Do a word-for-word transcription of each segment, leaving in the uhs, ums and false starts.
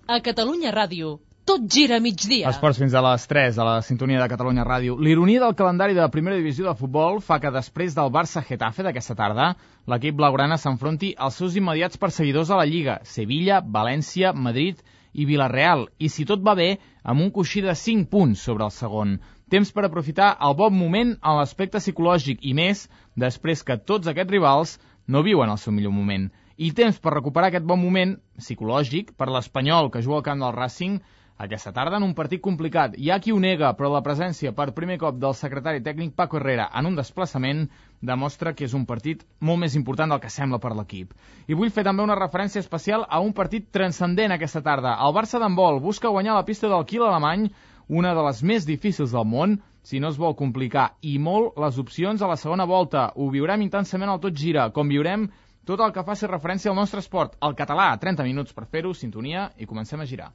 A Catalunya Ràdio, tot gira a migdia. Esports fins a les tres, a la sintonia de Catalunya Ràdio. L'ironia del calendari de la primera divisió de futbol fa que després del Barça-Getafe d'aquesta tarda, l'equip blaugrana s'enfronti als seus immediats perseguidors a la Lliga, Sevilla, València, Madrid i Villarreal, i si tot va bé, amb un coixí de cinc punts sobre el segon. Temps per aprofitar el bon moment en l'aspecte psicològic i més, després que tots aquests rivals no viuen el seu millor moment. I temps per recuperar aquest bon moment psicològic per l'Espanyol, que juga al camp del Racing aquesta tarda en un partit complicat. Hi ha qui ho nega, però la presència per primer cop del secretari tècnic Paco Herrera en un desplaçament demostra que és un partit molt més important del que sembla per l'equip. I vull fer també una referència especial a un partit transcendent aquesta tarda. El Barça d'handbol busca guanyar la pista del quil alemany, una de les més difícils del món, si no es vol complicar, i molt les opcions a la segona volta. Ho viurem intensament al Tot Gira, com viurem tot el que faci referència al nostre esport, el català. trenta minuts per fer-ho, sintonia, i comencem a girar.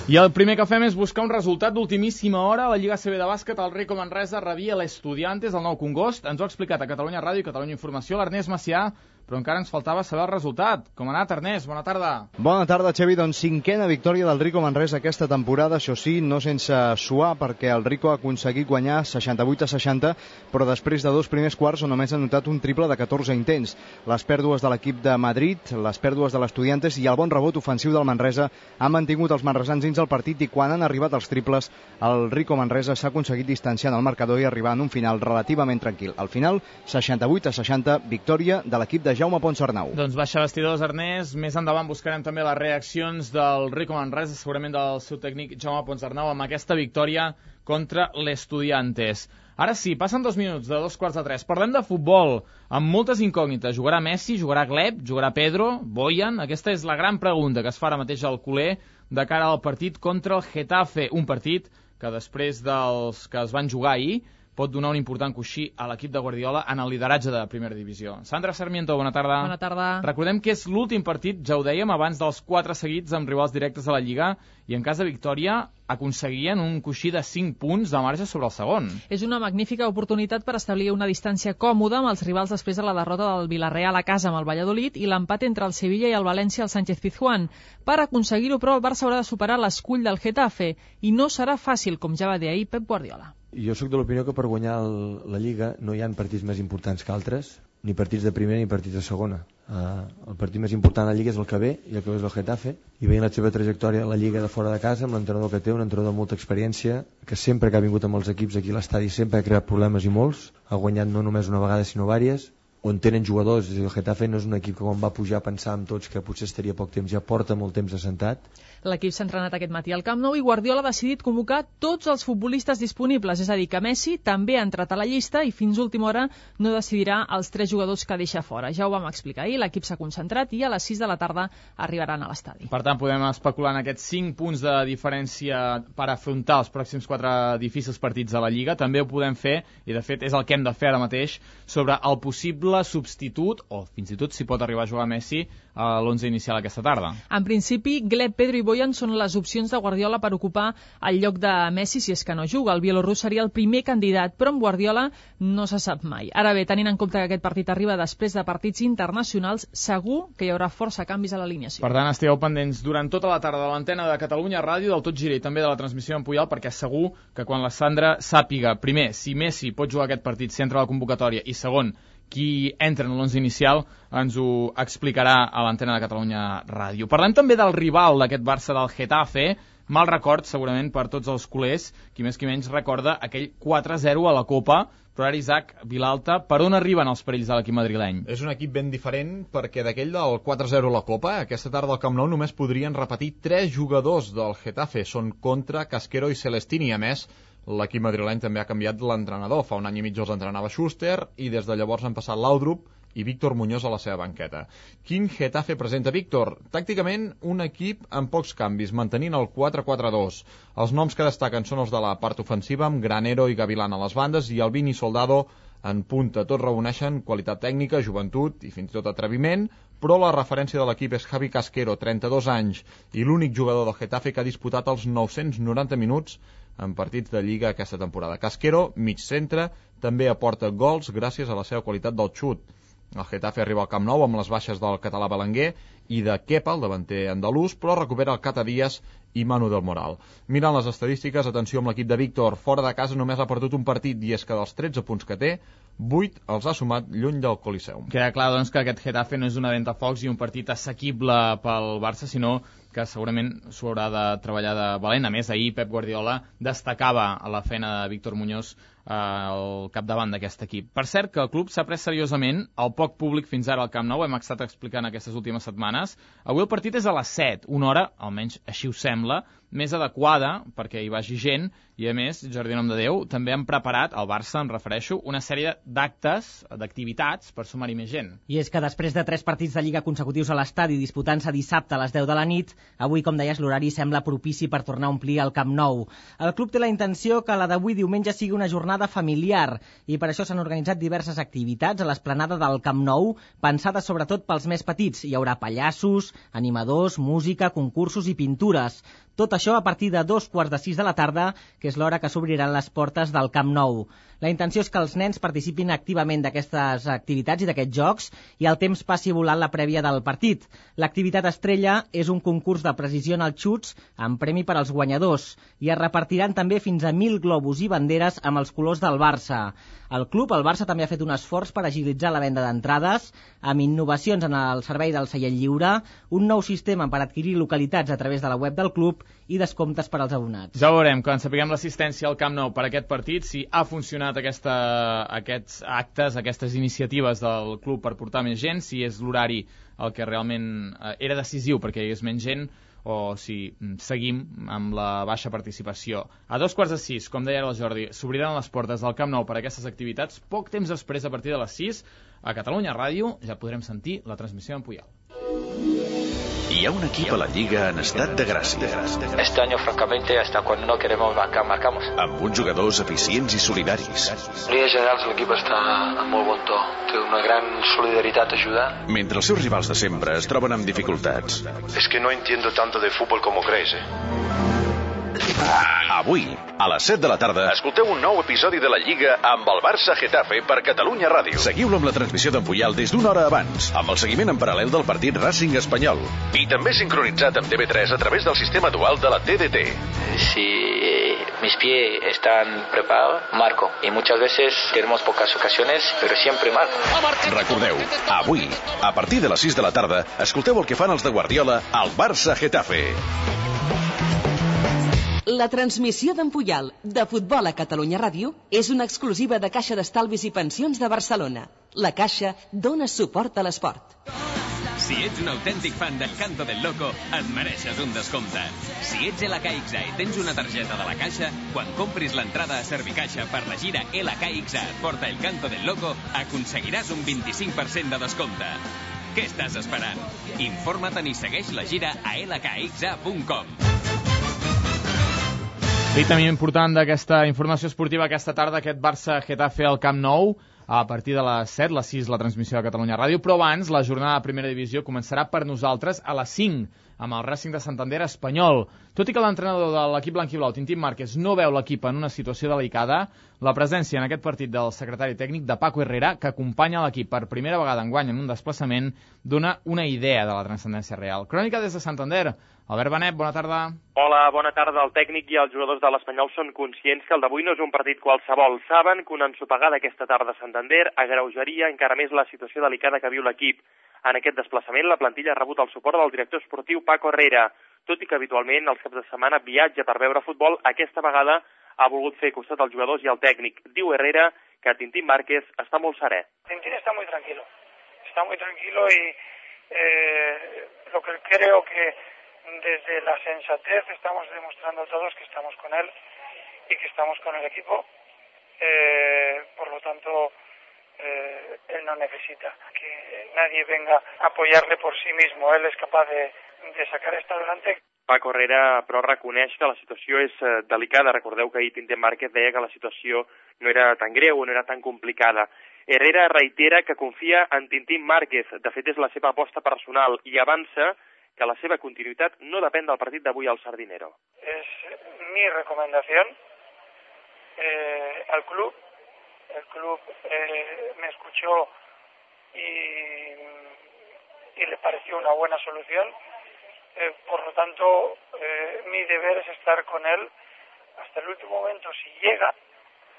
I el primer que fem és buscar un resultat d'ultimíssima hora. A la Lliga A C B de bàsquet, el Rico Manresa rebia l'Estudiantes al Nou Congost. Ens ho ha explicat a Catalunya Ràdio i Catalunya Informació l'Ernest Macià, però encara ens faltava saber el resultat. Com ha anat, Ernest? Bona tarda. Bona tarda, Xavi. Doncs cinquena victòria del Rico Manresa aquesta temporada, això sí, no sense suar, perquè el Rico ha aconseguit guanyar seixanta-vuit a seixanta, però després de dos primers quarts on només ha notat un triple de catorze intents. Les pèrdues de l'equip de Madrid, les pèrdues de l'Estudiantes i el bon rebot ofensiu del Manresa han mantingut els manresans dins el partit, i quan han arribat els triples, el Rico Manresa s'ha aconseguit distanciar en el marcador i arribar en un final relativament tranquil. Al final, seixanta-vuit a seixanta, victòria de l'equip de Jaume Ponsarnau. Doncs baixa vestidors, Ernest. Més endavant buscarem també les reaccions del Rico Manresa, segurament del seu tècnic Jaume Ponsarnau, amb aquesta victòria contra l'Estudiantes. Ara sí, passen dos minuts de dos quarts de tres. Parlem de futbol, amb moltes incògnites. Jugarà Messi, jugarà Gleb, jugarà Pedro, Boyan? Aquesta és la gran pregunta que es fa ara mateix al culer de cara al partit contra el Getafe. Un partit que després dels que es van jugar ahir pot donar un important coixí a l'equip de Guardiola en el lideratge de la primera divisió. Sandra Sarmiento, bona tarda. Bona tarda. Recordem que és l'últim partit, ja ho dèiem, abans dels quatre seguits amb rivals directes a la Lliga, i en cas de victòria aconseguien un coixí de cinc punts de marge sobre el segon. És una magnífica oportunitat per establir una distància còmoda amb els rivals després de la derrota del Villarreal a casa amb el Valladolid i l'empat entre el Sevilla i el València al Sánchez Pizjuán. Per aconseguir-ho, però, el Barça haurà de superar l'escull del Getafe i no serà fàcil, com ja va dir ahir Pep Guardiola. Jo sóc de l'opinió que per guanyar el, la Lliga no hi ha partits més importants que altres, ni partits de primera ni partits de segona. Uh, el partit més important de la Lliga és el que ve, i el que ve és el Getafe, i veient la seva trajectòria a la Lliga de fora de casa, amb l'entrenador que té, un entrenador de molta experiència, que sempre que ha vingut amb els equips aquí a l'estadi sempre ha creat problemes i molts, ha guanyat no només una vegada sinó vàries, on tenen jugadors. El Getafe no és un equip que quan va pujar pensàvem tots que potser estaria poc temps, ja porta molt temps assentat. L'equip s'ha entrenat aquest matí al Camp Nou i Guardiola ha decidit convocar tots els futbolistes disponibles, és a dir, que Messi també ha entrat a la llista i fins última hora no decidirà els tres jugadors que deixa fora. Ja ho vam explicar ahir, l'equip s'ha concentrat i a les sis de la tarda arribaran a l'estadi. Per tant, podem especular en aquests cinc punts de diferència per afrontar els pròxims quatre difícils partits a la Lliga. També ho podem fer, i de fet és el que hem de fer ara mateix, sobre el possible substitut, o fins i tot si pot arribar a jugar Messi, a l'onze inicial aquesta tarda. En principi, Gleb, Pedro i Boyan són les opcions de Guardiola per ocupar el lloc de Messi si és que no juga. El bielorrús seria el primer candidat, però amb Guardiola no se sap mai. Ara bé, tenint en compte que aquest partit arriba després de partits internacionals, segur que hi haurà força canvis a l'alineació. Per tant, estigueu pendents durant tota la tarda de l'antena de Catalunya Ràdio, del Tot Gira i també de la transmissió en Puyol, perquè segur que quan la Sandra sàpiga, primer, si Messi pot jugar aquest partit, si entra a la convocatòria, i segon, qui entra en l'onze inicial, ens ho explicarà a l'antena de Catalunya Ràdio. Parlem també del rival d'aquest Barça, del Getafe. Mal record, segurament, per tots els culers, qui més qui menys recorda aquell quatre a zero a la Copa. Però ara, Isaac Vilalta, per on arriben els perills de l'equip madrileny? És un equip ben diferent perquè d'aquell del quatre a zero a la Copa, aquesta tarda al Camp Nou només podrien repetir tres jugadors del Getafe. Són Contra, Casquero i Celestini. A més, l'equip madrileny també ha canviat l'entrenador. Fa un any i mig els entrenava Schuster i des de llavors han passat Laudrup i Víctor Muñoz a la seva banqueta. Quin Getafe presenta Víctor? Tàcticament, un equip amb pocs canvis, mantenint el quatre quatre dos. Els noms que destaquen són els de la part ofensiva, amb Granero i Gavilán a les bandes i Albini i Soldado en punta. Tots reuneixen qualitat tècnica, joventut i fins i tot atreviment, però la referència de l'equip és Javi Casquero, trenta-dos anys, i l'únic jugador del Getafe que ha disputat els nou-cents noranta minuts en partits de Lliga aquesta temporada. Casquero, mig centre, també aporta gols gràcies a la seva qualitat del xut. El Getafe arriba al Camp Nou amb les baixes del català Belenguer i de Kepa, el davanter andalús, però recupera el Cata Díaz i Manu del Moral. Mirant les estadístiques, atenció amb l'equip de Víctor, fora de casa només ha perdut un partit, i és que dels tretze punts que té, vuit els ha sumat lluny del Coliseum. Queda clar, doncs, que aquest Getafe no és una ventafocs i un partit assequible pel Barça, sinó que segurament s'ho haurà de treballar de valent. A més, ahir Pep Guardiola destacava la feina de Víctor Muñoz al capdavant d'aquest equip. Per cert, que el club s'ha pres seriosament el poc públic fins ara al Camp Nou, hem estat explicant aquestes últimes setmanes. Avui el partit és a les set, una hora, almenys així ho sembla, més adequada perquè hi vagi gent, i a més, Jordi Nom de Déu, també han preparat, al Barça em refereixo, una sèrie d'actes, d'activitats per sumar-hi més gent. I és que després de tres partits de Lliga consecutius a l'estadi disputant-se dissabte a les deu de la nit, avui, com deies, l'horari sembla propici per tornar a omplir el Camp Nou. El club té la intenció que la d'avui diumenge sigui una jornada familiar, i per això s'han organitzat diverses activitats a l'esplanada del Camp Nou, pensades sobretot pels més petits. Hi haurà pallassos, animadors, música, concursos i pintures. Tot això a partir de dos quarts de sis de la tarda, que és l'hora que s'obriran les portes del Camp Nou. La intenció és que els nens participin activament d'aquestes activitats i d'aquests jocs i el temps passi volant la prèvia del partit. L'activitat estrella és un concurs de precisió en els xuts amb premi per als guanyadors i es repartiran també fins a mil globus i banderes amb els colors del Barça. El club, el Barça, també ha fet un esforç per agilitzar la venda d'entrades amb innovacions en el servei del seient lliure, un nou sistema per adquirir localitats a través de la web del club i descomptes per als abonats. Ja veurem, quan sapiguem l'assistència al Camp Nou per aquest partit, si ha funcionat aquesta, aquests actes, aquestes iniciatives del club per portar més gent, si és l'horari el que realment eh, era decisiu perquè hi hagués menys gent, o si seguim amb la baixa participació. A dos quarts de sis, com deia el Jordi, s'obriran les portes del Camp Nou per a aquestes activitats. Poc temps després, a partir de les sis, a Catalunya Ràdio ja podrem sentir la transmissió en Puyal. Hi ha un equip a la Lliga en estat de gràcia. Este año, francamente, hasta cuando no queremos marcar, marcamos. Amb uns jugadors eficients i solidaris. En línies generals, l'equip està en molt bon to. Té una gran solidaritat, ajuda. Mentre els seus rivals de sempre es troben amb dificultats. Es que no entiendo tanto de fútbol como crees, eh? Avui, a les set de la tarda, escolteu un nou episodi de la Lliga amb el Barça Getafe per Catalunya Ràdio. Seguiu-lo amb la transmissió d'en Puyal des d'una hora abans, amb el seguiment en paral·lel del partit Racing Espanyol. I també sincronitzat amb T V tres a través del sistema dual de la T D T. Si mis pies están preparados, marco. Y muchas veces tenemos pocas ocasiones, pero siempre marco. Recordeu, avui, a partir de les sis de la tarda, escolteu el que fan els de Guardiola al Barça Getafe. La transmissió d'en Puyal, de Futbol a Catalunya Ràdio, és una exclusiva de Caixa d'Estalvis i Pensions de Barcelona. La Caixa dona suport a l'esport. Si ets un autèntic fan del Canto del Loco, et mereixes un descompte. Si ets L K X A i tens una targeta de la Caixa, quan compris l'entrada a Servicaixa per la gira L K X A et porta el Canto del Loco, aconseguiràs un vint-i-cinc per cent de descompte. Què estàs esperant? Informa-te'n i segueix la gira a l k x a punt com. I també important d'aquesta informació esportiva aquesta tarda, aquest Barça-Getafe al Camp Nou, a partir de les set, les sis, la transmissió de Catalunya Ràdio, però abans la jornada de primera divisió començarà per nosaltres a les cinc, amb el Racing de Santander Espanyol. Tot i que l'entrenador de l'equip blanquiblau, Tintín Márquez, no veu l'equip en una situació delicada, la presència en aquest partit del secretari tècnic de Paco Herrera, que acompanya l'equip per primera vegada enguany en un desplaçament, dona una idea de la transcendència real. Crònica des de Santander. Albert Benet, bona tarda. Hola, bona tarda. El tècnic i els jugadors de l'Espanyol són conscients que el d'avui no és un partit qualsevol. Saben que una ensopegada aquesta tarda a Santander agreujaria encara més la situació delicada que viu l'equip. En aquest desplaçament, la plantilla ha rebut el suport del director esportiu Paco Herrera. Tot i que habitualment els caps de setmana viatja per veure futbol, aquesta vegada ha volgut fer costat als jugadors i al tècnic. Diu Herrera que Tintín Márquez està molt serè. Tintín está muy tranquilo. Está muy tranquilo y eh, lo que creo que desde la sensatez estamos demostrando todos que estamos con él y que estamos con el equipo. Eh, por lo tanto, eh, él no necesita que nadie venga a apoyarle por sí mismo. Él es capaz de, de sacar esto adelante. Paco Herrera, però, reconeix que la situació és eh, delicada. Recordeu que ahir Tintín Márquez deia que la situació no era tan greu o no era tan complicada. Herrera reitera que confia en Tintín Márquez, de fet és la seva aposta personal, i avança que la seva continuïtat no depèn del partit d'avui al Sardinero. Es mi recomendación eh, al club. El club eh, me escuchó y, y le pareció una buena solución. Eh, por lo tanto, eh, mi deber es estar con él hasta el último momento si llega,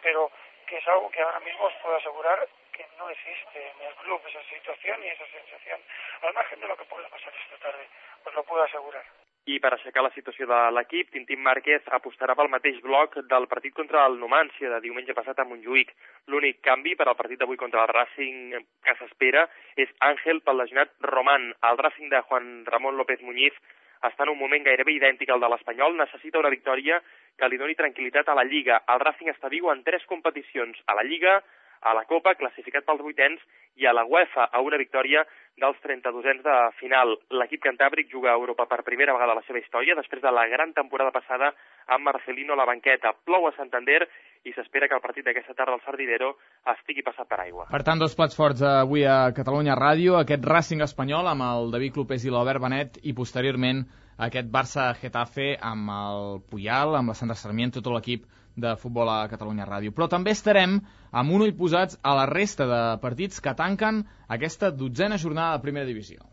pero que es algo que ahora mismo os puedo asegurar que no existe en el club esa situación y esa sensación, al margen de lo que pueda pasar esta tarde, os lo puedo asegurar. I per aixecar la situació de l'equip, Tintín Márquez apostarà pel mateix bloc del partit contra el Numancia de diumenge passat a Montjuïc. L'únic canvi per al partit d'avui contra el Racing que s'espera és Àngel pel lesionat Román. El Racing de Juan Ramón López Muñiz està en un moment gairebé idèntic al de l'Espanyol, necessita una victòria que li doni tranquil·litat a la Lliga. El Racing està viu en tres competicions, a la Lliga, a la Copa, classificat pels vuitens, i a la UEFA, a una victòria dels trenta-dosens de final. L'equip cantàbric juga a Europa per primera vegada a la seva història, després de la gran temporada passada amb Marcelino a la banqueta. Plou a Santander i s'espera que el partit d'aquesta tarda al Sardinero estigui passat per aigua. Per tant, dos plats forts avui a Catalunya Ràdio, aquest Racing espanyol amb el David Clopés i l'Albert Benet, i posteriorment aquest Barça-Getafe amb el Puyal, amb la Sandra Sarmiento, tot l'equip de futbol a Catalunya Ràdio. Però també estarem amb un ull posats a la resta de partits que tanquen aquesta dotzena jornada de primera divisió.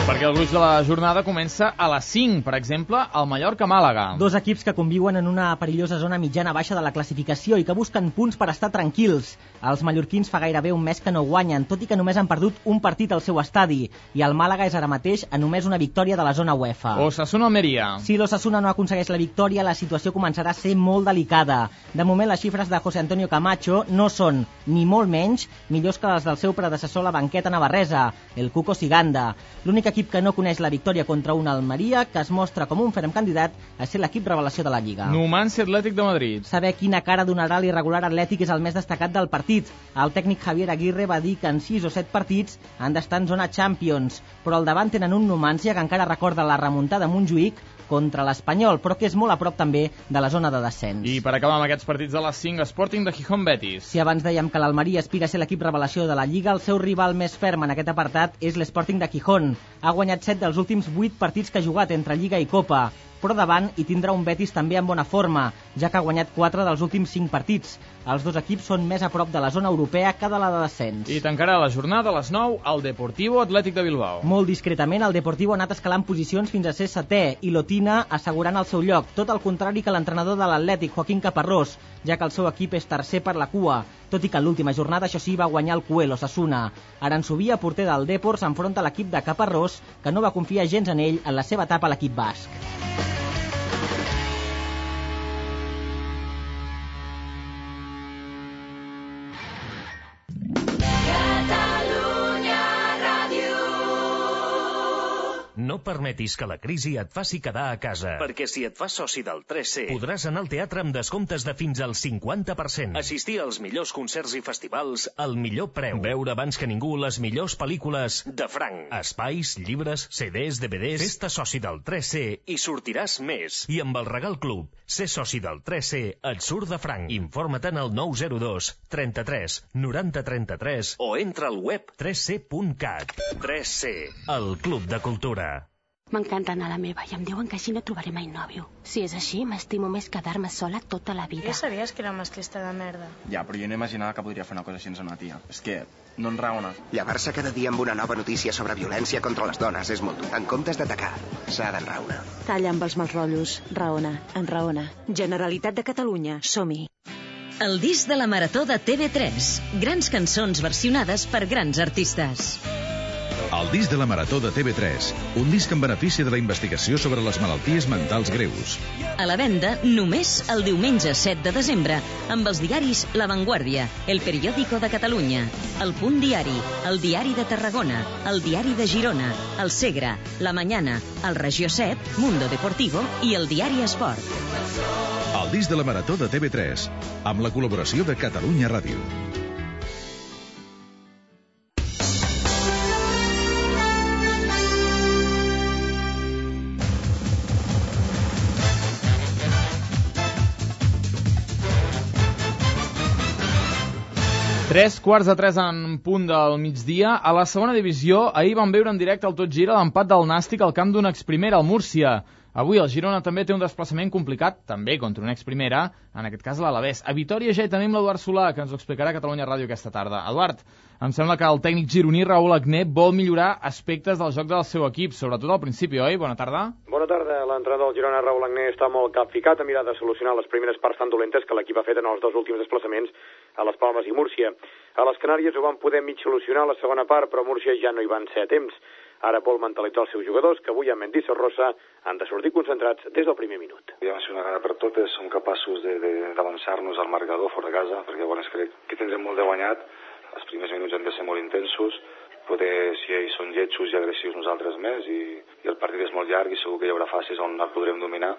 Perquè el gruix de la jornada comença a les cinc, per exemple, al Mallorca-Màlaga. Dos equips que conviuen en una perillosa zona mitjana-baixa de la classificació i que busquen punts per estar tranquils. Els mallorquins fa gairebé un mes que no guanyen, tot i que només han perdut un partit al seu estadi, i el Màlaga és ara mateix a només una victòria de la zona UEFA. Osasuna-Almeria. Si l'Osasuna no aconsegueix la victòria, la situació començarà a ser molt delicada. De moment, les xifres de José Antonio Camacho no són, ni molt menys, millors que les del seu predecessor a la banqueta navarresa, el Cuco Siganda. L'únic equip que no coneix la victòria contra una Almeria, que es mostra com un ferm candidat a ser l'equip revelació de la Lliga. Numancia Atlètic de Madrid. Saber quina cara donarà l'irregular Atlètic és el més destacat del partit. El tècnic Javier Aguirre va dir que en sis o set partits han d'estar en zona Champions, però al davant tenen un Numancia que encara recorda la remuntada a Montjuïc contra l'Espanyol, però que és molt a prop també de la zona de descens. I per acabar amb aquests partits de les cinc, Sporting de Gijón Betis. Si abans dèiem que l'Almeria aspira a ser l'equip revelació de la Lliga, el seu rival més ferm en aquest apartat és l'Sporting de Gijón. Ha guanyat set dels últims vuit partits que ha jugat entre Lliga i Copa, però davant hi tindrà un Betis també en bona forma, ja que ha guanyat quatre dels últims cinc partits. Els dos equips són més a prop de la zona europea que de la de descens. I tancarà la jornada a les nou el Deportivo Atlètic de Bilbao. Molt discretament, el Deportivo ha anat escalant posicions fins a ser setè i l'Otina assegurant el seu lloc, tot el contrari que l'entrenador de l'Atlètic, Joaquín Caparrós, ja que el seu equip és tercer per la cua, tot i que en l'última jornada, això sí, va guanyar el Cuel Osasuna. Aranzubia, porter del Depor, s'enfronta a l'equip de Caparrós, que no va confiar gens en ell en la seva etapa a l'equip basc. No permetis que la crisi et faci quedar a casa. Perquè si et fas soci del tres C... podràs anar al teatre amb descomptes de fins al cinquanta per cent. Assistir als millors concerts i festivals al millor preu. Veure abans que ningú les millors pel·lícules de franc. Espais, llibres, C Ds, D V Ds... Fes-te soci del tres C i sortiràs més. I amb el Regal Club, ser soci del tres C et surt de franc. Informa-te'n al nou zero dos, trenta-tres, noranta, trenta-tres o entra al web tres c punt cat. tres C, el Club de Cultura. M'encanta anar a la meva i em diuen que així no trobaré mai nòvio. Si és així, m'estimo més quedar-me sola tota la vida. Ja sabies que era masclista de merda. Ja, però jo no imaginava que podria fer una cosa així amb una tia. És que no en raona. Llevar-se cada dia amb una nova notícia sobre violència contra les dones és molt dur. En comptes d'atacar, s'ha d'enraonar. Talla amb els mals rotllos. Raona, enraona. Generalitat de Catalunya, som-hi. El disc de la Marató de T V tres. Grans cançons versionades per grans artistes. El disc de la Marató de T V tres, un disc en benefici de la investigació sobre les malalties mentals greus. A la venda només el diumenge set de desembre amb els diaris La Vanguardia, El Periódico de Catalunya, El Punt Diari, El Diari de Tarragona, El Diari de Girona, El Segre, La Mañana, El Regió set, Mundo Deportivo i El Diari Esport. El disc de la Marató de T V tres, amb la col·laboració de Catalunya Ràdio. Tres quarts de tres en punt del migdia. A la segona divisió, ahir vam veure en directe al Tot Gira l'empat del Nàstic al camp d'un exprimera, el Múrcia. Avui el Girona també té un desplaçament complicat, també contra un exprimera, en aquest cas l'Alavés. A Vitòria ja hi tenim l'Eduard Solà, que ens ho explicarà a Catalunya Ràdio aquesta tarda. Eduard, em sembla que el tècnic gironí Raül Agné vol millorar aspectes del joc del seu equip, sobretot al principi, oi? Bona tarda. Bona tarda. L'entrenador del Girona, Raül Agné, està molt capficat a mirar de solucionar les primeres parts tan dolentes que l'equip ha fet en els dos últims desplaçaments a les Palmes i Múrcia. A les Canàries ho van poder mig solucionar a la segona part, però a Múrcia ja no hi van ser a temps. Ara vol mentalitzar els seus jugadors, que avui amb Mendy Sorrosa han de sortir concentrats des del primer minut. Ja va ser una gana per totes, som capaços d'avançar-nos al marcador fora de casa, perquè bueno, crec que tindrem molt de guanyat. Els primers minuts han de ser molt intensos, poder, si ells són lletjos i agressius, nosaltres més, i, i el partit és molt llarg i segur que hi haurà fases on el podrem dominar,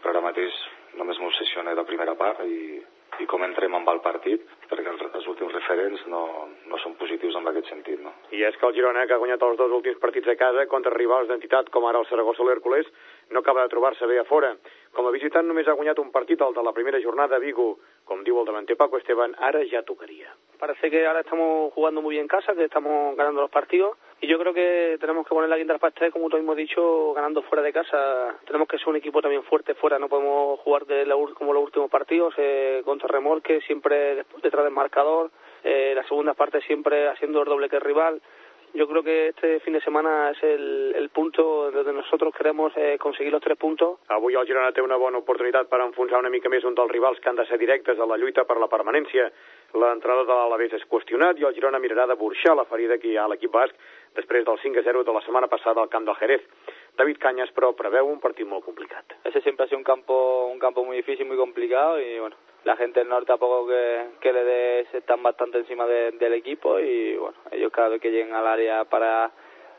però ara mateix només m'obsessiona la primera part i, i com entrem amb el partit, perquè els, els últims referents no, no són positius en aquest sentit. No? I és que el Girona, que ha guanyat els dos últims partits a casa contra rivals d'entitat com ara el Saragossa o l'Hèrcules, no acaba de trobar-se bé a fora. Com a visitant només ha guanyat un partit, el de la primera jornada a Vigo. Como digo el davanter Paco Esteban, ahora ya tocaría. Parece que ahora estamos jugando muy bien en casa, que estamos ganando los partidos y yo creo que tenemos que poner la guinda al pastel, como tú mismo has dicho, ganando fuera de casa. Tenemos que ser un equipo también fuerte fuera, no podemos jugar de la, como los últimos partidos, eh, contra remolque, siempre detrás del marcador, eh, la segunda parte siempre haciendo el doble que el rival. Yo creo que este fin de semana és el, el punto donde nosotros queremos eh, conseguir los tres puntos. Avui el Girona té una bona oportunitat per enfonsar una mica més un dels rivals que han de ser directes a la lluita per la permanència. L'entrada de l'Alavés és qüestionat i el Girona mirarà de burxar la ferida que hi ha a l'equip basc després del cinc a zero de la setmana passada al camp del Jerez. David Cañas, però, preveu un partit molt complicat. Ese siempre ha sido un campo, un campo muy difícil, muy complicado y bueno, la gente del norte tampoco que, que le dé, están bastante encima de, del equipo y bueno, ellos cada vez que lleguen al área para,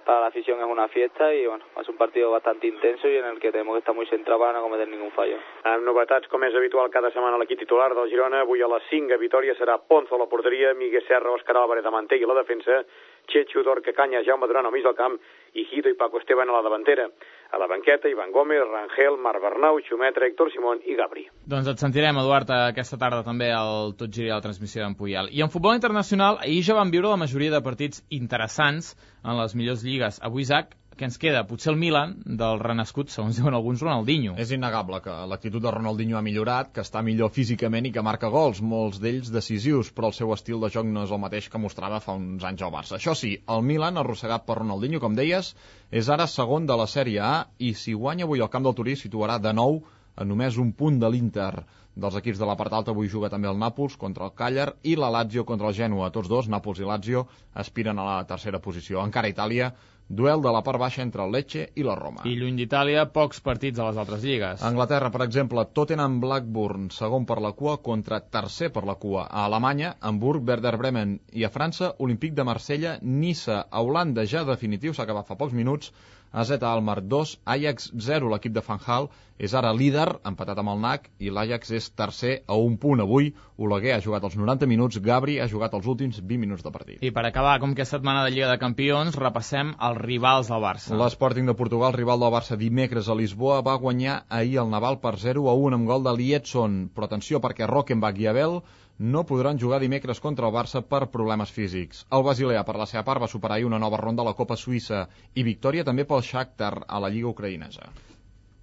para la afición es una fiesta y bueno, es un partido bastante intenso y en el que tenemos que estar muy centrados para no cometer ningún fallo. Amb novetats, com és habitual cada setmana a l'equip titular del Girona, avui a les cinc a Vitòria serà Ponzo a la porteria, Miguel Serra, Òscar Álvarez de Mantell a la defensa, Chechu, Dorca Cañas, Jaume Duran al mig del camp i Hito i Paco Esteban a la davantera. A la banqueta, Ivan Gómez, Rangel, Marc Bernau, Xumetra, Héctor Simón i Gabri. Doncs et sentirem, Eduard, aquesta tarda també al Tot Gira a la transmissió d'en Puyal. I en futbol internacional, ahir ja vam viure la majoria de partits interessants en les millors lligues. Avui, Isaac, què ens queda? Potser el Milan, del renascut, segons diuen alguns, Ronaldinho. És innegable que l'actitud de Ronaldinho ha millorat, que està millor físicament i que marca gols, molts d'ells decisius, però el seu estil de joc no és el mateix que mostrava fa uns anys al Barça. Això sí, el Milan, arrossegat per Ronaldinho, com deies, és ara segon de la Sèrie A i si guanya avui al camp del Torí situarà de nou a només un punt de l'Inter. Dels equips de la part alta avui juga també el Nàpols contra el Càller i la Lazio contra el Gènova. Tots dos, Nàpols i Lazio, aspiren a la tercera posició. Encara a Itàlia, duel de la part baixa entre el Lecce i la Roma. I lluny d'Itàlia, pocs partits a les altres lligues. A Anglaterra, per exemple, Tottenham Blackburn, segon per la cua contra tercer per la cua. A Alemanya, Hamburg, Werder Bremen i a França, Olímpic de Marsella, Niça. A Holanda ja definitiu, s'ha acabat fa pocs minuts, A Z Alkmaar dos, Ajax zero. L'equip de Van Gaal és ara líder, empatat amb el N A C, i l'Ajax és tercer a un punt. Avui, Oleguer ha jugat els noranta minuts, Gabri ha jugat els últims vint minuts de partit. I per acabar, com que és setmana de Lliga de Campions, repassem els rivals del Barça. L'Sporting de Portugal, rival del Barça dimecres a Lisboa, va guanyar ahir el Naval per zero a un amb gol de Liedson. Però atenció, perquè Rockenbach i Abel no podran jugar dimecres contra el Barça per problemes físics. El Basilea, per la seva part, va superar una nova ronda a la Copa Suïssa i victòria també pel Shakhtar a la Lliga ucraïnesa.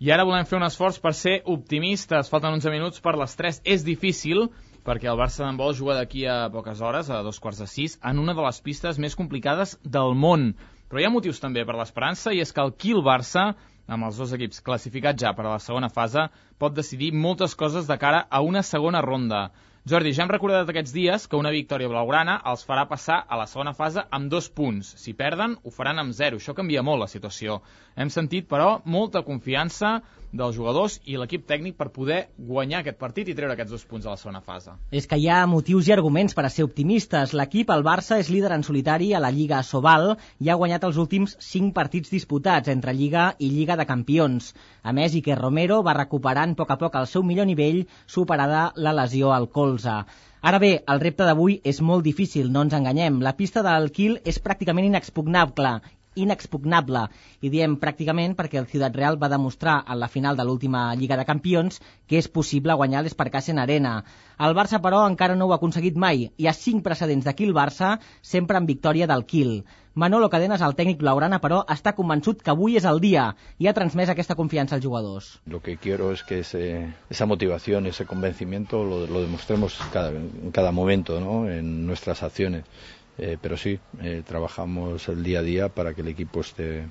I ara volem fer un esforç per ser optimistes. Falten onze minuts per les tres. És difícil, perquè el Barça d'handbol juga d'aquí a poques hores, a dos quarts de sis, en una de les pistes més complicades del món. Però hi ha motius també per l'esperança, i és que el Kiel Barça, amb els dos equips classificats ja per a la segona fase, pot decidir moltes coses de cara a una segona ronda. Jordi, ja hem recordat aquests dies que una victòria blaugrana els farà passar a la segona fase amb dos punts. Si perden, ho faran amb zero. Això canvia molt la situació. Hem sentit, però, molta confiança dels jugadors i l'equip tècnic per poder guanyar aquest partit i treure aquests dos punts a la segona fase. És que hi ha motius i arguments per a ser optimistes. L'equip, el Barça, és líder en solitari a la Lliga Sobal i ha guanyat els últims cinc partits disputats entre Lliga i Lliga de Campions. A més, Iker Romero va recuperant a poc a poc el seu millor nivell, superada la lesió al colze. Ara bé, el repte d'avui és molt difícil, no ens enganyem. La pista del Kiel és pràcticament inexpugnable inexpugnable. I diem pràcticament perquè el Ciudad Real va demostrar en la final de l'última Lliga de Campions que és possible guanyar l'Esparcassen Arena. El Barça, però, encara no ho ha aconseguit mai. Hi ha cinc precedents de Kiel-Barça, sempre en victòria del Kiel. Manolo Cadenas, el tècnic blaugrana, però, està convençut que avui és el dia i ha transmès aquesta confiança als jugadors. Lo que quiero es que ese, esa motivación, ese convencimiento lo, lo demostremos cada, en cada momento, ¿no? En nuestras acciones. Eh, pero sí, eh, trabajamos el día a día para que el equipo esté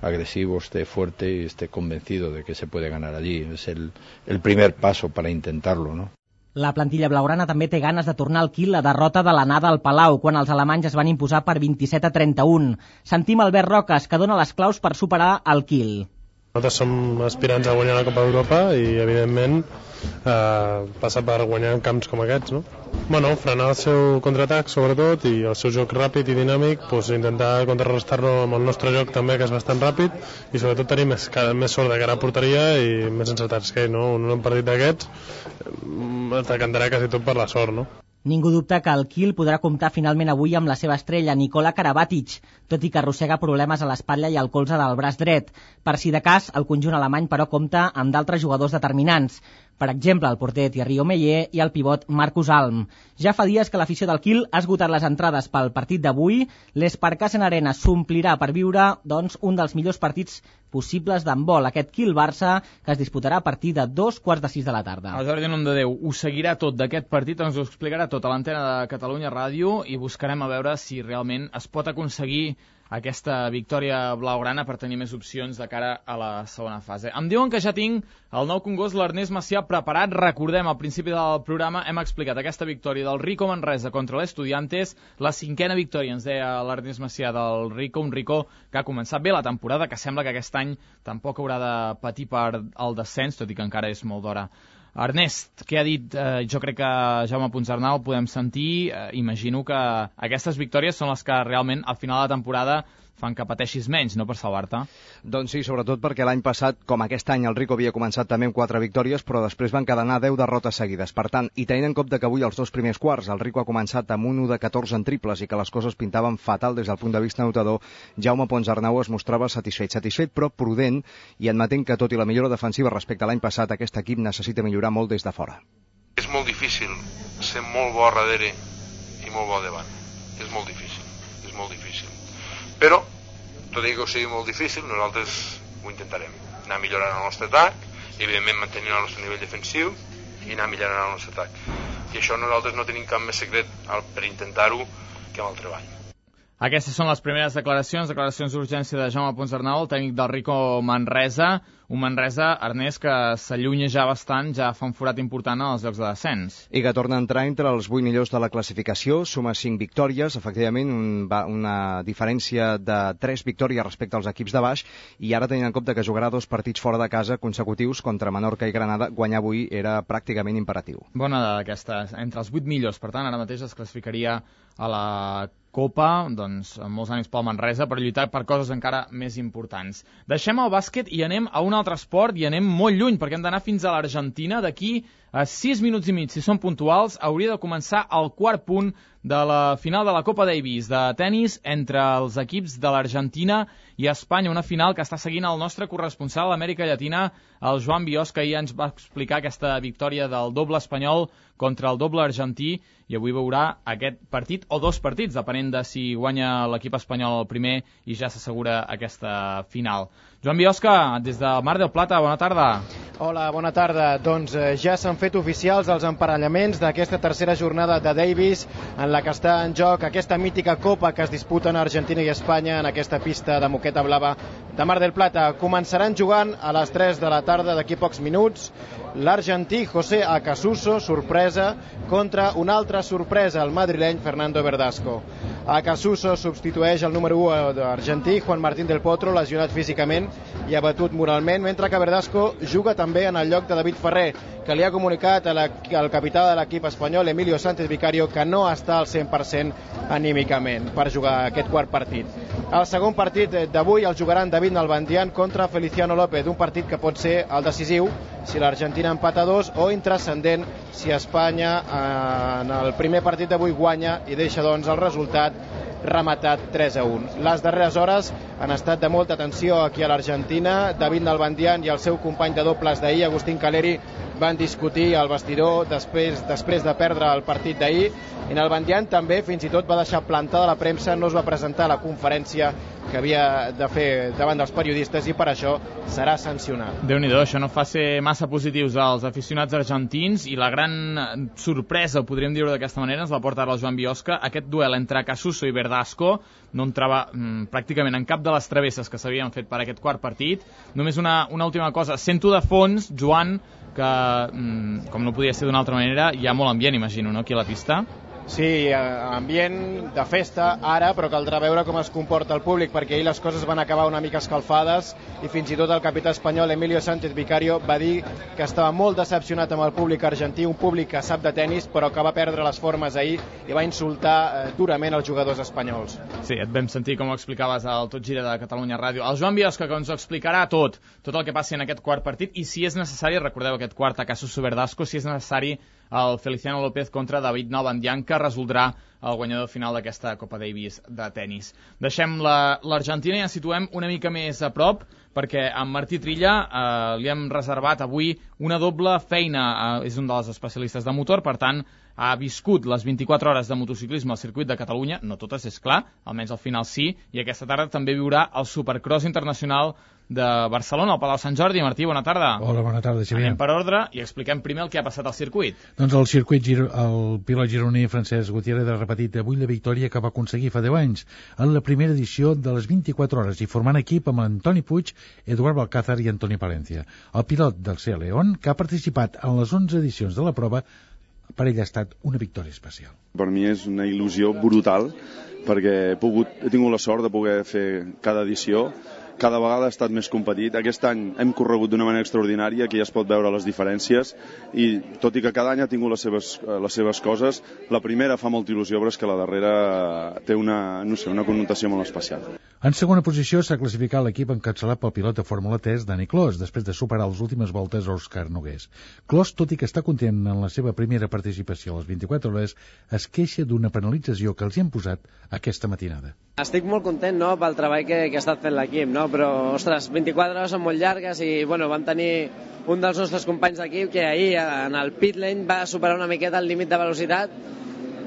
agresivo, esté fuerte y esté convencido de que se puede ganar allí. Es el, el primer paso para intentarlo, ¿no? La plantilla blaugrana també té ganes de tornar al Kiel la derrota de l'anada al Palau, quan els alemanys es van imposar per vint-i-set a trenta-un. Sentim Albert Roques, que dona les claus per superar el Kiel. Nosaltres som aspirants a guanyar la Copa d'Europa i, evidentment, eh, passa per guanyar en camps com aquests, no? Bueno, frenar el seu contraatac, sobretot, i el seu joc ràpid i dinàmic, pues, intentar contrarrestar-lo amb el nostre joc també, que és bastant ràpid, i sobretot tenir més, més sort de cara a porteria i més encertats que no, un partit d'aquests es decantarà quasi tot per la sort, no? Ningú dubta que el Kiel podrà comptar finalment avui amb la seva estrella, Nikola Karabatic, tot i que arrossega problemes a l'espatlla i al colze del braç dret. Per si de cas, el conjunt alemany, però, compta amb d'altres jugadors determinants. Per exemple, el porter Thierry Omeyer i el pivot Marcus Alm. Ja fa dies que l'afició del Kiel ha esgotat les entrades pel partit d'avui. L'Esparcassen Arena s'omplirà per viure, doncs, un dels millors partits possibles d'handbol, aquest Kiel-Barça, que es disputarà a partir de dos quarts de sis de la tarda. El Jordi Nomdedeu ho seguirà tot d'aquest partit, ens ho explicarà tot a l'antena de Catalunya Ràdio i buscarem a veure si realment es pot aconseguir aquesta victòria blaugrana per tenir més opcions de cara a la segona fase. Em diuen que ja tinc el nou congost, l'Ernest Macià, preparat. Recordem, al principi del programa hem explicat aquesta victòria del Rico Manresa contra l'Estudiantes, la cinquena victòria, ens deia l'Ernest Macià, del Rico, un Rico que ha començat bé la temporada, que sembla que aquest any tampoc haurà de patir per el descens, tot i que encara és molt d'hora. Ernest, què ha dit? Eh, jo crec que Jaume Puigcernau podem sentir. Eh, imagino que aquestes victòries són les que realment al final de la temporada fan que pateixis menys, no, per salvar-te? Doncs sí, sobretot perquè l'any passat, com aquest any, el Rico havia començat també amb quatre victòries, però després van cadenar deu derrotes seguides. Per tant, i tenint en compte que avui els dos primers quarts, el Rico ha començat amb un u de catorze en triples i que les coses pintaven fatal des del punt de vista anotador, Jaume Puigcernau es mostrava satisfet, satisfet però prudent i admetent que tot i la millora defensiva respecte a l'any passat, aquest equip necessita millorar molt des de fora. És molt difícil ser molt bo a darrere i molt bo davant. És molt difícil, és molt difícil. Però, tot i que ho sigui molt difícil, nosaltres ho intentarem. Anar millorant el nostre atac, i evidentment mantenint el nostre nivell defensiu i anar millorant el nostre atac. I això nosaltres no tenim cap més secret per intentar-ho que amb el treball. Aquestes són les primeres declaracions, declaracions d'urgència de Jaume Puigcernau, el tècnic del Rico Manresa, un Manresa, Ernest, que s'allunya ja bastant, ja fa un forat important als llocs de descens. I que torna a entrar entre els vuit millors de la classificació, suma cinc victòries, efectivament un, una diferència de tres victòries respecte als equips de baix, i ara tenint en compte que jugarà dos partits fora de casa consecutius contra Menorca i Granada, guanyar avui era pràcticament imperatiu. Bona dada aquesta, entre els vuit millors, per tant ara mateix es classificaria a la Copa, doncs amb molts ànims pel Manresa per lluitar per coses encara més importants. Deixem el bàsquet i anem a un altre esport i anem molt lluny perquè hem d'anar fins a l'Argentina. D'aquí a sis minuts i mig, si són puntuals, hauria de començar el quart punt de la final de la Copa Davis de tennis entre els equips de l'Argentina i Espanya, una final que està seguint el nostre corresponsal a l'Amèrica Llatina, el Joan Biosca, que ahir ens va explicar aquesta victòria del doble espanyol contra el doble argentí, i avui veurà aquest partit, o dos partits, depenent de si guanya l'equip espanyol el primer i ja s'assegura aquesta final. Joan Biosca, des del Mar del Plata, bona tarda. Hola, bona tarda. Doncs eh, ja s'han fet oficials els emparellaments d'aquesta tercera jornada de Davis, en la que està en joc aquesta mítica copa que es disputen Argentina i Espanya en aquesta pista de moqueta blava de Mar del Plata. Començaran jugant a les tres de la tarda d'aquí pocs minuts l'argentí José Acasuso, sorpresa, contra una altra sorpresa, el madrileny Fernando Verdasco. Acasuso substitueix el número u argentí, Juan Martín del Potro, lesionat físicament i abatut moralment, mentre que Verdasco juga també en el lloc de David Ferrer, que li ha comunicat al capità de l'equip espanyol, Emilio Sánchez Vicario, que no està al cent per cent anímicament per jugar aquest quart partit. El segon partit d'avui el jugaran David Nalbandian contra Feliciano López, un partit que pot ser el decisiu si l'Argentina empata dos o intrascendent si Espanya en el primer partit d'avui guanya i deixa doncs el resultat rematat tres a un. Les darreres hores han estat de molta tensió aquí a l'Argentina. David Nalbandian i el seu company de dobles d'ahir, Agustín Caleri, van discutir al vestidor després, després de perdre el partit d'ahir. I Nalbandian també fins i tot va deixar plantada la premsa, no es va presentar a la conferència que havia de fer davant dels periodistes i per això serà sancionat. Déu-n'hi-do, això no fa ser massa positius als aficionats argentins i la gran sorpresa, podríem dir-ho d'aquesta manera, ens la porta ara el Joan Biosca. Aquest duel entre Casuso i Verdasco no entrava mm, pràcticament en cap de les travesses que s'havien fet per aquest quart partit. Només una, una última cosa, sento de fons, Joan, que mm, com no podia ser d'una altra manera, hi ha molt ambient, imagino, no?, aquí a la pista. Sí, ambient de festa ara, però caldrà veure com es comporta el públic, perquè ahir les coses van acabar una mica escalfades i fins i tot el capità espanyol Emilio Sánchez Vicario va dir que estava molt decepcionat amb el públic argentí, un públic que sap de tennis però que va perdre les formes ahir i va insultar eh, durament els jugadors espanyols. Sí, et vam sentir com ho explicaves al Tot Gira de Catalunya Ràdio. El Joan Biosca, que ens ho explicarà tot, tot el que passi en aquest quart partit i si és necessari, recordeu aquest quart a Casuso Verdasco, si és necessari el Feliciano López contra David Nalbandian, que resoldrà el guanyador final d'aquesta Copa Davis de tennis. Deixem l'Argentina i ens situem una mica més a prop, perquè en Martí Trilla eh, li hem reservat avui una doble feina. Eh, és un dels especialistes de motor, per tant, ha viscut les vint-i-quatre hores de motociclisme al circuit de Catalunya, no totes, és clar, almenys al final sí, i aquesta tarda també viurà el Supercross Internacional de Barcelona, al Palau Sant Jordi. Martí, bona tarda. Hola, bona tarda, Xavier. Anem per ordre i expliquem primer el que ha passat al circuit. Doncs el circuit, el pilot gironí Francesc Gutiérrez ha repetit avui la victòria que va aconseguir fa deu anys en la primera edició de les vint-i-quatre hores i formant equip amb Antoni Puig, Eduard Balcázar i Antoni Palencia. El pilot del Sea León, que ha participat en les onze edicions de la prova, per ell ha estat una victòria especial. Per mi és una il·lusió brutal perquè he, pogut, he tingut la sort de poder fer cada edició. Cada vegada ha estat més competit. Aquest any hem corregut d'una manera extraordinària, que ja es pot veure les diferències, i tot i que cada any ha tingut les seves, les seves coses, la primera fa molta il·lusió, però és que la darrera té una, no sé, una connotació molt especial. En segona posició s'ha classificat l'equip encapçalat pel pilot de Fórmula tres, Dani Clos, després de superar les últimes voltes Òscar Nogués. Clos, tot i que està content en la seva primera participació a les vint-i-quatre hores, es queixa d'una penalització que els hi han posat aquesta matinada. Estic molt content, no?, pel treball que, que ha estat fent l'equip, no? Però, ostres, vint-i-quatre hores són molt llargues i, bueno, vam tenir un dels nostres companys d'equip que ahir en el pit lane va superar una miqueta el límit de velocitat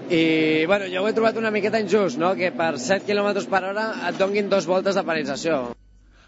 i, bueno, jo ho he trobat una miqueta injust, no?, que per set quilòmetres per hora et donguin dos voltes de penalització.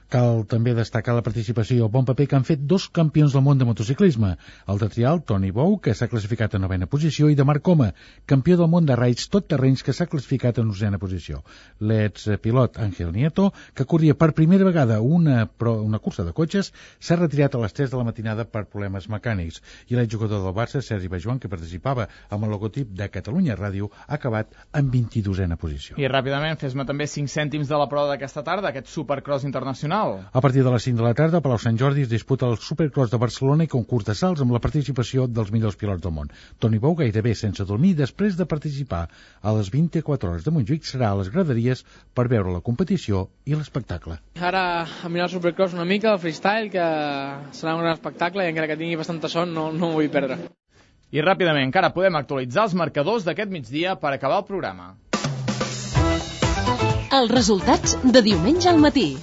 Cal també destacar la participació i el bon paper que han fet dos campions del món de motociclisme, el de trial, Toni Bou, que s'ha classificat a novena posició, i de Marc Coma, campió del món de raids tot terrenys, que s'ha classificat en onzena posició. L'expilot Ángel Nieto, que corria per primera vegada una, una cursa de cotxes, s'ha retirat a les tres de la matinada per problemes mecànics, i l'exjugador del Barça, Sergi Bajuan, que participava amb el logotip de Catalunya Ràdio, ha acabat en vint-i-dosena posició. I ràpidament, fes-me també cinc cèntims de la prova d'aquesta tarda, aquest Supercross Internacional. A partir de les cinc de la tarda, a Palau Sant Jordi es disputa el Supercross de Barcelona i concurs de salts amb la participació dels millors pilots del món. Toni Bou, gairebé sense dormir, després de participar a les vint-i-quatre hores de Montjuïc, serà a les graderies per veure la competició i l'espectacle. Ara a mirar el Supercross una mica, el freestyle, que serà un gran espectacle i encara que tingui bastanta son no, no ho vull perdre. I ràpidament, encara podem actualitzar els marcadors d'aquest migdia per acabar el programa. Els resultats de diumenge al matí.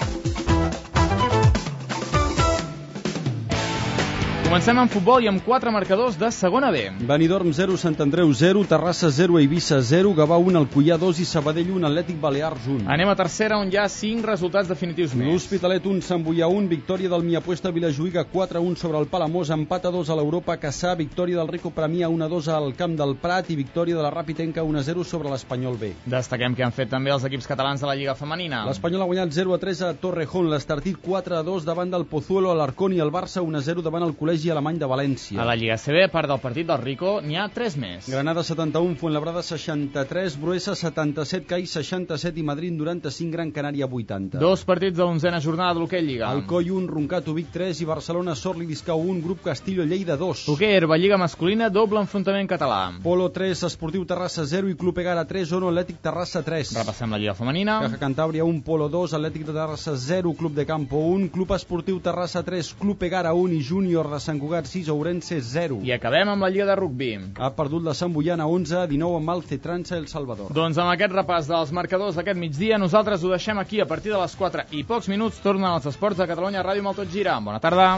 Comencem amb futbol i amb quatre marcadors de segona B. Benidorm zero, Sant Andreu zero, Terrassa zero, Eivissa zero, Gavà un, Alcoià dos i Sabadell un, Atlètic Balears un. Anem a tercera, on hi ha cinc resultats definitius més. L'Hospitalet un, Sant Boià un, victòria del Miapuesta Vilajuïga quatre a un sobre el Palamós, empat a dos a l'Europa Cassà, victòria del Rico Premià un a dos al Camp del Prat i victòria de la Ràpitenca un a zero sobre l'Espanyol B. Destaquem que han fet també els equips catalans de la Lliga Femenina. L'Espanyol ha guanyat zero a tres a Torrejón, l'Estartit quatre a dos davant del Pozuelo, a l'Arcón, i el Barça un a zero davant el Col·legi Alemany de València. A la Lliga C B, a part del partit del Rico, n'hi ha tres més. Granada setanta-un, Fuenlabrada seixanta-tres, Bruesa setanta-set, CAI seixanta-set i Madrid noranta-cinc, Gran Canària vuitanta. Dos partits de l'onzena jornada de l'Hoquei Lliga. Alcoi un, Roncato Vic tres i Barcelona Sorli Discau un, Grup Castillo Lleida dos. Hoquei Herba Lliga masculina, doble enfrontament català. Polo tres, Esportiu Terrassa zero i Club Egara tres, Ono Atlètic Terrassa tres. Repassem la Lliga Femenina. Caja Cantàbria un, Polo dos, Atlètic de Terrassa zero, Club de Campo un, Club Esportiu Terrassa tres, Club Egara un i Júnior de Sant Sant Cugat sis, Ourense zero. I acabem amb la Lliga de Rugbi. Ha perdut la Sant Boiana onze a dinou amb el Cetransa El Salvador. Doncs amb aquest repàs dels marcadors d'aquest migdia, nosaltres ho deixem aquí. A partir de les quatre i pocs minuts tornen els esports de Catalunya Ràdio amb el Tot Gira. Bona tarda.